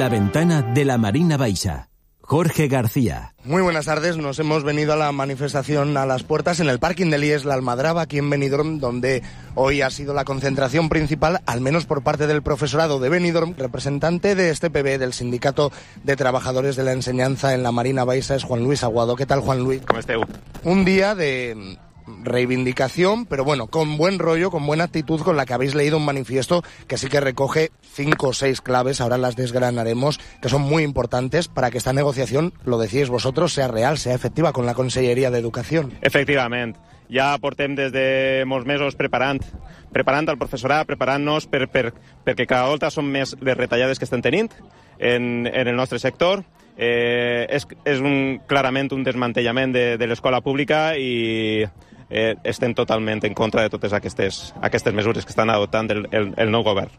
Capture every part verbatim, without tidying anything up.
La ventana de la Marina Baixa. Jorge García. Muy buenas tardes, nos hemos venido a la manifestación a las puertas en el parking de Lies La Almadraba, aquí en Benidorm, donde hoy ha sido la concentración principal, al menos por parte del profesorado de Benidorm. Representante de este P B, del Sindicato de Trabajadores de la Enseñanza en la Marina Baixa, es Juan Luis Aguado. ¿Qué tal, Juan Luis? ¿Cómo esteu? Un día de reivindicación, pero bueno, con buen rollo, con buena actitud, con la que habéis leído un manifiesto que sí que recoge cinco o seis claves, ahora las desgranaremos, que son muy importantes para que esta negociación, lo decíais vosotros, sea real, sea efectiva con la Conselleria d'Educació. Efectivament. Ja portem des de molts mesos preparant, preparant el professorat, preparant-nos per, per, perquè cada volta són més les retallades que estem tenint en, en el nostre sector. Eh, és és un, clarament un desmantellament de, de l'escola pública i eh, estem totalment en contra de totes aquestes, aquestes mesures que estan adoptant el, el, el nou govern.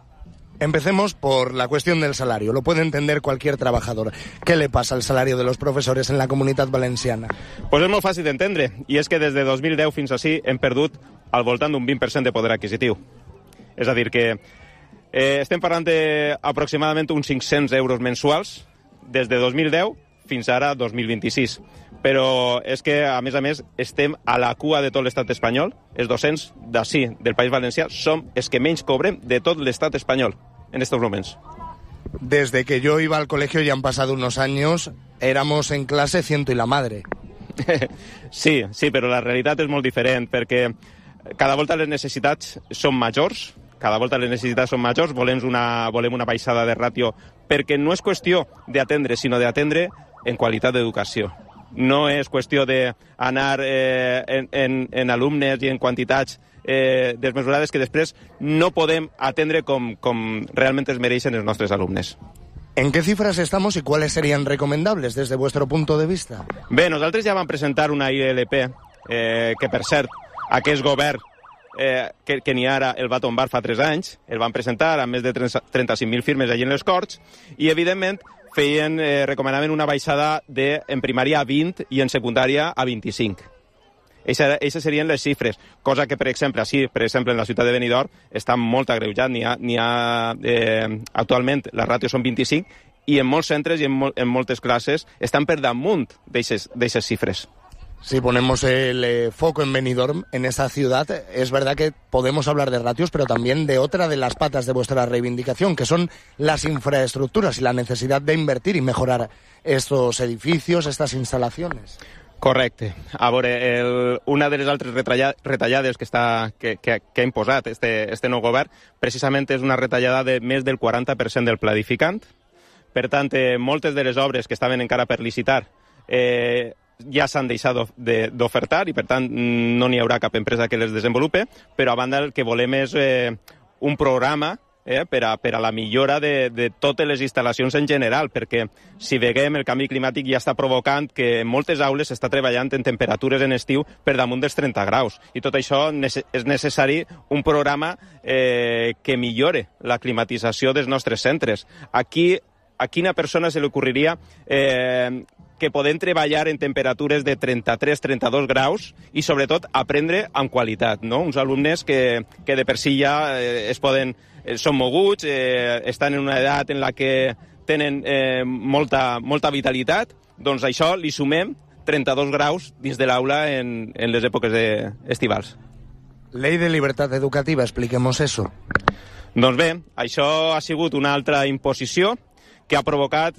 Empecemos por la cuestión del salario. Lo puede entender cualquier trabajador. ¿Qué le pasa al salario de los profesores en la Comunitat Valenciana? Pues és molt fàcil d'entendre, i és que des de dos mil deu fins així hem perdut al voltant d'un vint per cent de poder adquisitiu. És a dir, que eh, estem parlant d'aproximadament uns cinc-cents euros mensuals des de dos mil deu fins ara dos mil vint-i-sis. Però és que, a més a més, estem a la cua de tot l'estat espanyol. Els docents d'ací, del País Valencià, som els que menys cobrem de tot l'estat espanyol en estos moments. Desde que yo iba al colegio, ya han pasado unos años, éramos en clase ciento y la madre. Sí, sí, però la realitat és molt diferent, perquè cada volta les necessitats són majors, cada volta les necessitats són majors, volem una, volem una baixada de ràtio, perquè no és qüestió d'atendre, sinó d'atendre en qualitat d'educació. No és qüestió d'anar eh, en, en, en alumnes i en quantitats eh, desmesurades que després no podem atendre com, com realment es mereixen els nostres alumnes. ¿En qué cifras estamos y cuáles serían recomendables desde vuestro punto de vista? Bé, nosaltres ja vam presentar una I L P eh, que, per cert, aquest govern eh, que, que n'hi ara el va tombar fa tres anys, el van presentar amb més de trenta-cinc mil firmes allí en les Corts, i, evidentment, feien, eh, recomanaven una baixada de, en primària a vint i en secundària a vint-i-cinc. Aquestes serien les xifres, cosa que, per exemple, així, per exemple, en la ciutat de Benidorm, està molt agreujat. N'hi ha, n'hi ha eh, actualment, les ràtios són vint-i-cinc, i en molts centres i en, mol, en moltes classes estan per damunt d'aquestes xifres. Si ponemos el eh, foco en Benidorm, en esa ciudad, es verdad que podemos hablar de ratios, pero también de otra de las patas de vuestra reivindicación, que son las infraestructuras y la necesidad de invertir y mejorar estos edificios, estas instalaciones. Correcte. A veure, el, una de les altres retallades que, està, que, que, que ha imposat este, este nou govern precisament és una retallada de més del quaranta per cent del pla edificant. Per tant, eh, moltes de les obres que estaven encara per licitar eh, ja s'han deixat d'ofertar i, per tant, no n'hi haurà cap empresa que les desenvolupe, però a banda el que volem és eh, un programa eh, per, a, per a la millora de, de totes les instal·lacions en general, perquè si veiem el canvi climàtic ja està provocant que en moltes aules s'està treballant en temperatures en estiu per damunt dels trenta graus, i tot això és necessari un programa eh, que millore la climatització dels nostres centres. Aquí, a quina persona se li ocorreria eh, que podem treballar en temperatures de trenta-tres a trenta-dos graus i, sobretot, aprendre amb qualitat, no? Uns alumnes que, que de per si ja eh, es poden, eh, són moguts, eh, estan en una edat en la que tenen eh, molta, molta vitalitat, doncs això li sumem trenta-dos graus dins de l'aula en, en les èpoques de, estivals. Ley de Libertad Educativa, expliquemos eso. Doncs bé, això ha sigut una altra imposició que ha provocat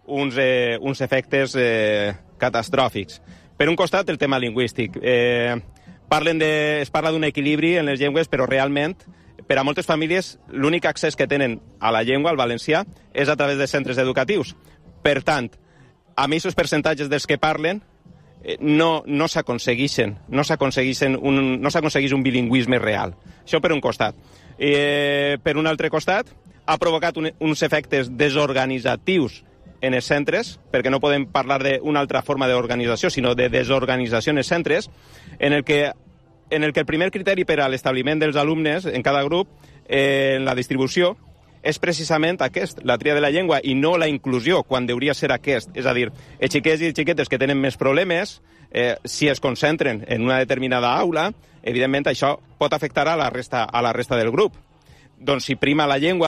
uns, eh, uns efectes eh, catastròfics. Per un costat, el tema lingüístic. Eh, parlen de, es parla d'un equilibri en les llengües, però realment, per a moltes famílies, l'únic accés que tenen a la llengua, al valencià, és a través de centres educatius. Per tant, amb aquests percentatges dels que parlen, eh, no, no s'aconsegueixen, no s'aconsegueixen un, no s'aconsegueix un bilingüisme real. Això per un costat. Eh, per un altre costat, ha provocat un, uns efectes desorganitzatius en els centres, perquè no podem parlar d'una altra forma d'organització, sinó de desorganització en els centres, en el que, en el, que el primer criteri per a l'establiment dels alumnes en cada grup, eh, en la distribució, és precisament aquest, la tria de la llengua, i no la inclusió, quan hauria ser aquest. És a dir, els xiquets i els xiquetes que tenen més problemes, eh, si es concentren en una determinada aula, evidentment això pot afectar a la resta, a la resta del grup. Doncs si prima la llengua,